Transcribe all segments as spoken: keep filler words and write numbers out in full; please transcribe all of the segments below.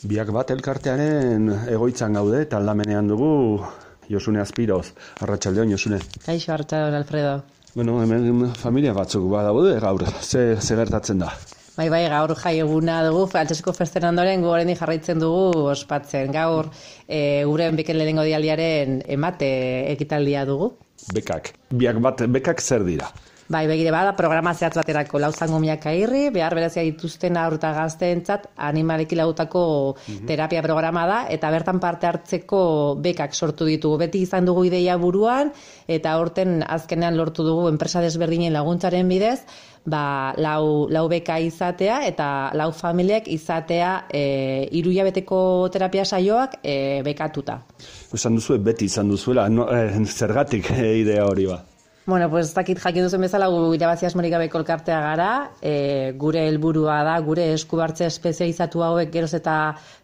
Biak bat elkartearen egoitzan gaude eta aldamenean dugu Josune Azpiroz. Arratsaldeon, Josune. Kaixo, arratsaldeon, Alfredo. Bueno, hemen familia batzuk badaude gaur, ze, ze gertatzen da? Bai, bai, gaur jai eguna dugu, Frantsesko festen ondoren gu oraindik jarraitzen dugu ospatzen. Gaur e, gure beken lehenengo dialdiaren emate ekitaldia dugu. Bekak. Biak bat bekak zer dira? Bai, begire bada, programa zehatz baterako lauzango miak airri, behar berezia dituzten haur eta gazteentzat animaleki lagutako mm-hmm. terapia programa da, eta bertan parte hartzeko bekak sortu ditugu. Beti izan dugu ideia buruan, eta horten azkenean lortu dugu enpresa desberdinen laguntzaren bidez, ba, lau, lau beka izatea eta lau familiek izatea e, hiru hilabeteko terapia saioak e, bekatuta. Esan duzu, beti izan duzuela, no, eh, zergatik eh, idea hori ba? Bueno, pues ez dakit jakin duzen bezala gu irabazi asmorik gabeko elkartea gara, e, gure helburua da, gure eskubartze espezializatu hauek geroz eta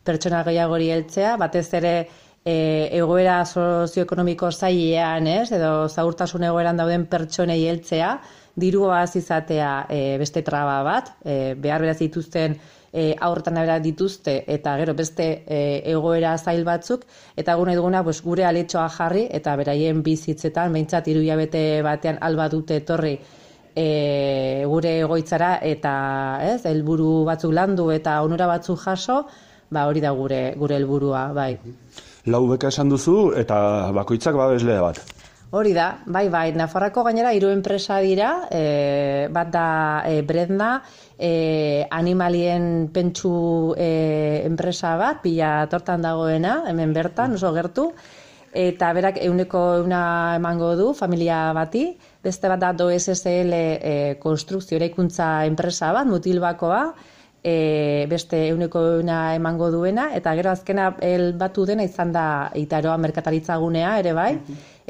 pertsona gehiagori heltzea, batez ere e, egoera sozioekonomiko zailean, ez, edo zaurtasun egoeran dauden pertsonei heltzea, dirua izatea e, beste traba bat, e, behar beraz dituzten E, aurretan abera dituzte eta gero beste e, egoera zail batzuk eta gure duguna pues, gure aletxoa jarri eta beraien bizitzetan behintzat hiru hilabete batean alba dute etorri e, gure egoitzara eta ez helburu batzuk landu eta onura batzuk jaso, ba hori da gure gure helburua, bai. Lau beka esan duzu eta bakoitzak babeslea bat. Hori da, bai, bai, Nafarroako gainera hiru enpresa dira, e, bat da e, Bredna, e, animalien pentsu e, enpresa bat, pila tortan dagoena, hemen bertan, oso gertu, eta berak euneko euna emango du, familia bati, beste bat da D O S S L e, konstrukzio eraikuntza enpresa bat, Mutilbakoa, e, beste euneko euna emango duena, eta gero azkena el batu dena izan da Itaroa merkataritza gunea, ere bai,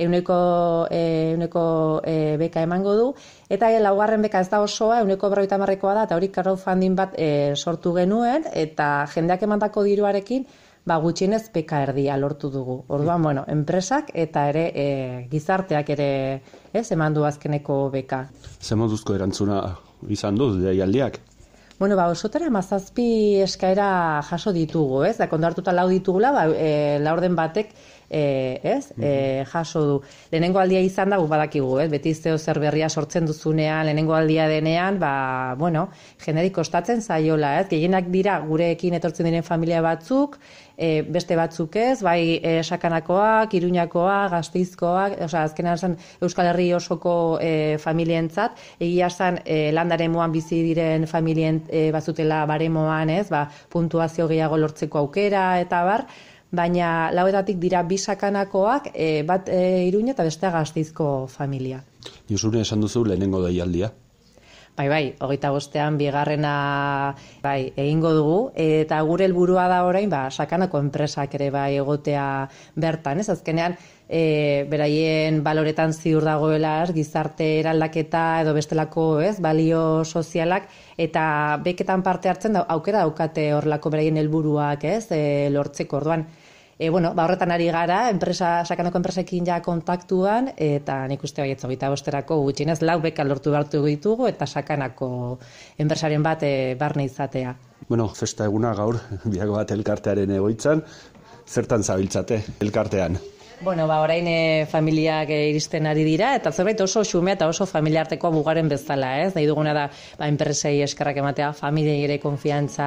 euneko, e, euneko e, beka emango du, eta e, laugarren beka ez da osoa, euneko berrogeita hamarrekoa da, eta hori crowdfunding bat e, sortu genuen, eta jendeak emandako diruarekin, ba, gutxienez beka erdia lortu dugu. Orduan, bueno, enpresak eta ere e, gizarteak ere ez eman du azkeneko beka. Ze moduzko erantzuna izan du, deialdiak? Bueno, ba, osotara mazazpi eskaera jaso ditugu, ez? Da, kondartuta lau ditugula, ba, e, laurden batek E, ez? E, jaso du. Lehenengo aldia izan da, badakigu, ez? Beti zeo zer berria sortzen duzunean, lehenengo aldia denean, ba, bueno, generik kostatzen zaiola, ez? Gehienak dira gurekin etortzen diren familia batzuk, e, beste batzuk ez, bai e, sakanakoak, iruñakoak, gazteizkoak, osea, azkenan zen Euskal Herri osoko e, familientzat, egia zen e, landaren moan bizi diren familien e, bazutela baremoan, ez? Ba, puntuazio gehiago lortzeko aukera, eta bar, baina lauetatik dira bi sakanakoak, e, bat e, Iruña eta bestea Gasteizko familia. Josune, esan duzu lehenengo deialdia? Bai, bai, hogeita bostean bigarrena bai, egingo dugu, eta gure helburua da orain, ba, sakanako enpresak ere bai egotea bertan, ez? Azkenean, e, beraien baloretan ziur dagoela, ez? Gizarte eraldaketa edo bestelako, ez? Balio sozialak, eta beketan parte hartzen da, aukera daukate horrelako beraien helburuak, ez? E, lortzeko orduan. E, bueno, ba, horretan ari gara, enpresa, sakanako enpresekin ja kontaktuan, eta nik uste baietz hogeita bosterako gutxienez lau beka lortu behartu ditugu, eta sakanako enpresaren bat e, barne izatea. Bueno, festa eguna gaur, biak bat elkartearen egoitzan, zertan zabiltzate elkartean? Bueno, ba, orain e, familiak e, iristen ari dira, eta zerbait oso xumea eta oso familiartekoa bugaren bezala, ez? Nahi duguna da, ba, enpresei eskerrak ematea, familiei ere konfiantza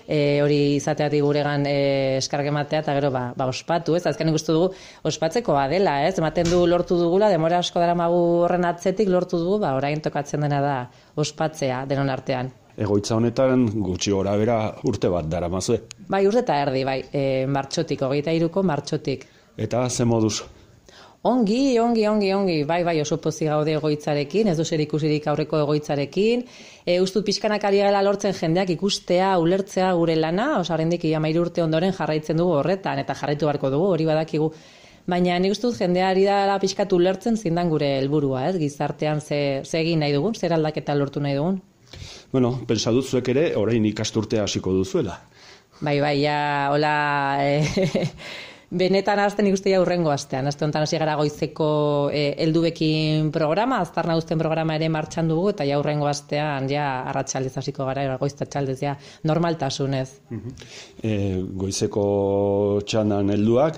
e, hori izateatik guregan e, eskerrak ematea, eta gero, ba, ba ospatu, ez? Azkenik uste dugu, ospatzekoa dela, ez? Ematen du lortu dugula, demora asko daramagu horren atzetik lortu dugu, ba, orain tokatzen dena da ospatzea denon artean. Egoitza honetan gutxi gora bera urte bat daramazue? Bai, urte eta erdi, bai, e, martxotik, hogeita hiruko martxotik. Eta ze moduz? Ongi, ongi, ongi, ongi, bai, bai, oso pozik gaude egoitzarekin, ez du zer ikusirik aurreko egoitzarekin. E, ustut pixkanak ari gela lortzen jendeak ikustea, ulertzea gure lana, osa horrendik hamairu urte ondoren jarraitzen dugu horretan, eta jarraitu beharko dugu, hori badakigu. Baina nik uste dut jendea ari dela pixkatu ulertzen zindan gure helburua, ez? Gizartean ze, ze egin nahi dugun, zer aldaketa lortu nahi dugun. Bueno, pentsa dut zuek ere, orain ikasturtea hasiko duzuela. Bai, bai, ja, hola... E, Benetan hasten ikuste ja urrengo astean. Aste honetan hasi gara goizeko eh, helduekin programa, aztarna uzten programa ere martxan dugu, eta ja urrengo astean ja arratsaldez hasiko gara, goiztatxaldez ja normaltasunez. E, goizeko txandan helduak,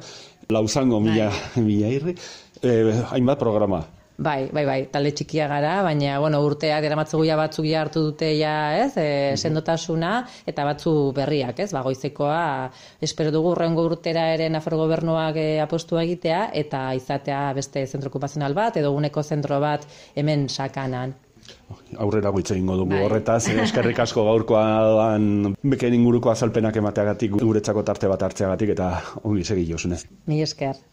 lauzango mila, mila irri, e, hainbat programa. Bai, bai, bai, talde txikia gara, baina, bueno, urteak eramatzugu ja batzuk ja hartu dute ja, ez, e, sendotasuna, eta batzu berriak, ez, ba, goizekoa, espero dugu urrengo urtera ere Nafarro Gobernuak e, apostua egitea, eta izatea beste zentro okupazional bat, edo uneko zentro bat hemen Sakanan. Aurrera goitze egingo dugu horretaz, eskerrik asko gaurkoan beken inguruko azalpenak emateagatik, guretzako tarte bat hartzeagatik, eta ongi segi Josune. Mila esker.